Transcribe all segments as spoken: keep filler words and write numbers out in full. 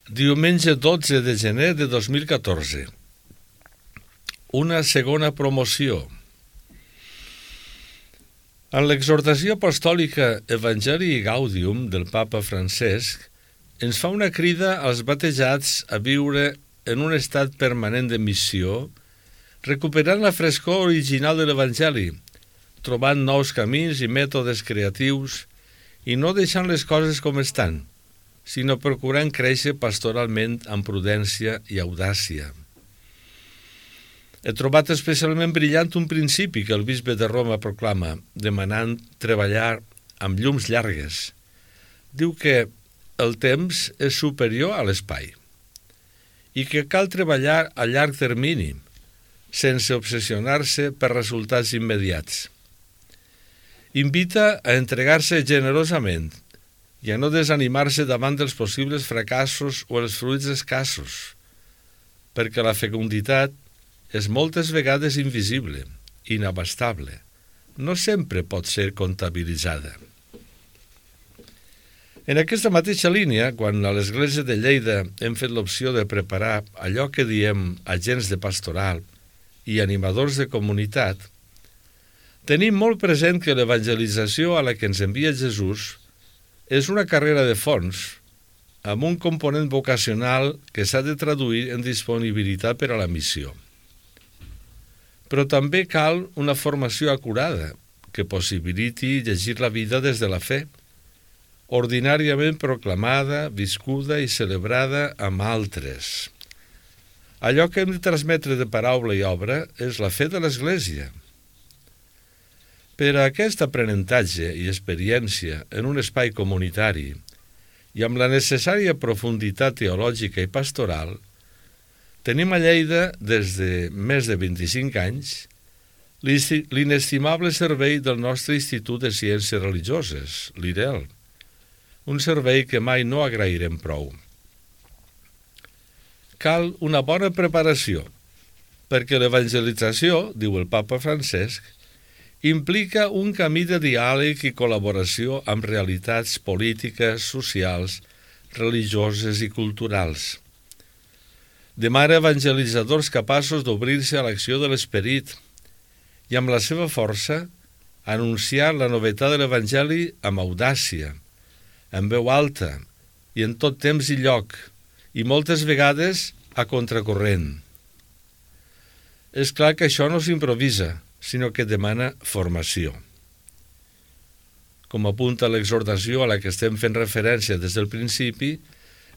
Diumenge dotze de gener de dos mil catorze. Una segona promoció. En l'exhortació apostòlica Evangelii Gaudium del Papa Francesc ens fa una crida als batejats a viure en un estat permanent de missió, recuperant la frescor original de l'Evangeli, trobant nous camins i mètodes creatius i no deixant les coses com estan, sinó procurant créixer pastoralment amb prudència i audàcia. He trobat especialment brillant un principi que el bisbe de Roma proclama, demanant treballar amb llums llargues. Diu que el temps és superior a l'espai i que cal treballar a llarg termini, sense obsessionar-se per resultats immediats. Invita a entregar-se generosament i a no desanimar-se davant dels possibles fracassos o els fruits escassos, perquè la fecunditat és moltes vegades invisible, inabastable, no sempre pot ser comptabilitzada. En aquesta mateixa línia, quan a l'Església de Lleida hem fet l'opció de preparar allò que diem agents de pastoral i animadors de comunitat, tenim molt present que l'evangelització a la que ens envia Jesús és una carrera de fons, amb un component vocacional que s'ha de traduir en disponibilitat per a la missió. Però també cal una formació acurada que possibiliti llegir la vida des de la fe, ordinàriament proclamada, viscuda i celebrada amb altres. Allò que hem de transmetre de paraula i obra és la fe de l'Església. Per a aquest aprenentatge i experiència en un espai comunitari i amb la necessària profunditat teològica i pastoral, tenim a Lleida, des de més de vint-i-cinc anys, l'inestimable servei del nostre Institut de Ciències Religioses, l'I R E L, un servei que mai no agrairem prou. Cal una bona preparació, perquè l'evangelització, diu el Papa Francesc, implica un camí de diàleg i col·laboració amb realitats polítiques, socials, religioses i culturals. Demana evangelitzadors capaços d'obrir-se a l'acció de l'Esperit i amb la seva força anunciar la novetat de l'Evangeli amb audàcia, en veu alta i en tot temps i lloc, i moltes vegades a contracorrent. És clar que això no s'improvisa, sinó que demana formació. Com apunta l'exhortació a la que estem fent referència des del principi,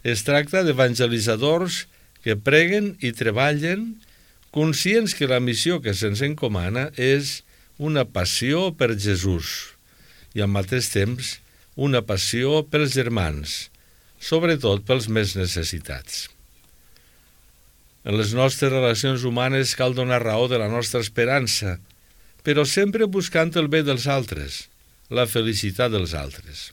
es tracta d'evangelitzadors que preguen i treballen conscients que la missió que se'ns encomana és una passió per Jesús i al mateix temps una passió pels germans, sobretot pels més necessitats. En les nostres relacions humanes cal donar raó de la nostra esperança, però sempre buscant el bé dels altres, la felicitat dels altres.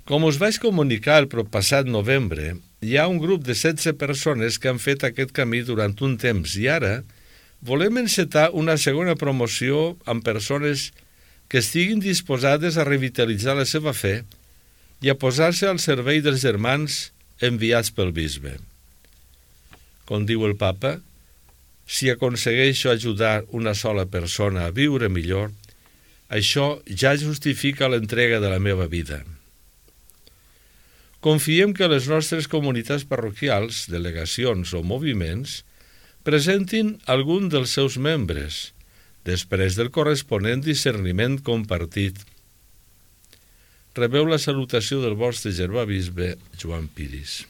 Com us vaig comunicar el passat novembre, hi ha un grup de setze persones que han fet aquest camí durant un temps i ara volem encetar una segona promoció amb persones que estiguin disposades a revitalitzar la seva fe i a posar-se al servei dels germans enviats pel bisbe. Com diu el Papa, si aconsegueixo ajudar una sola persona a viure millor, això ja justifica l'entrega de la meva vida. Confiem que les nostres comunitats parroquials, delegacions o moviments presentin algun dels seus membres, després del corresponent discerniment compartit. Rebeu la salutació del vostre germà bisbe Joan Piris.